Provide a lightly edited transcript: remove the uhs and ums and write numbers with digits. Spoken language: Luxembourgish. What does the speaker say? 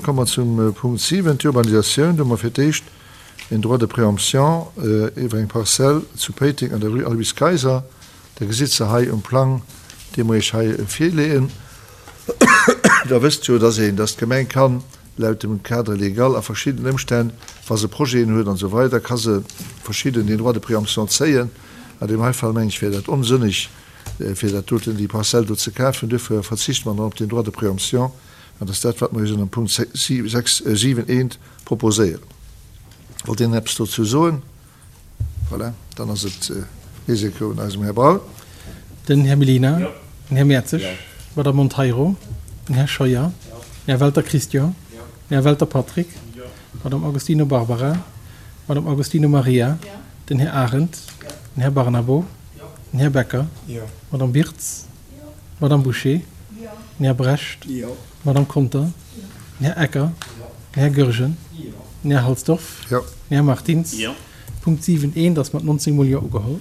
komme mer zum Punkt 7, d'Urbanisatioun. Do hu mer fir d'éischt een Droit de préemption iwwer eng Parzell zu Péiteng an der Rue Aloyse Kayser. Der gesitt se hei um Plang, dee mer Iech hei virleeën. Der wësst jo, dass een, dass d'Gemeng kann laut dem Cadre légal a verschiddenen Ëmstänn, wa se Projeten huet an esou weider, ka se verschidden den Droit de préemption zéien. An deem hei Fall, meng ech, wär dat onsënneg, fir dat doten, déi Parzell do ze kafen. Duerfir verzichte mer dann op den Droit de préemption. An dat ass dat, wat mer Iech ënner dem Punkt 6, 7, 1 proposéieren. Wollt een eppes dozou soen? Voilà, dann ass et nees eng Kéier un eisem Här Braun. Den Här Mellina, den Här Mertzig, d'Madame Monteiro, den Här Scheuer, den Här Welter Christian, den Här Welter Patrick, d'Madame Agostino Barbara, d'Madame Agostino Maria, den Här Arendt, den Här Barnabo, den Här Becker, d'Madame Birtz, d'Madame Bouché, den Här Brecht, d'Madame Conter, den Här Ecker, den Här Goergen, den Här Halsdorf, den Här Martins. Punkt 7 eent ass mat 19 mol Jo ugeholl.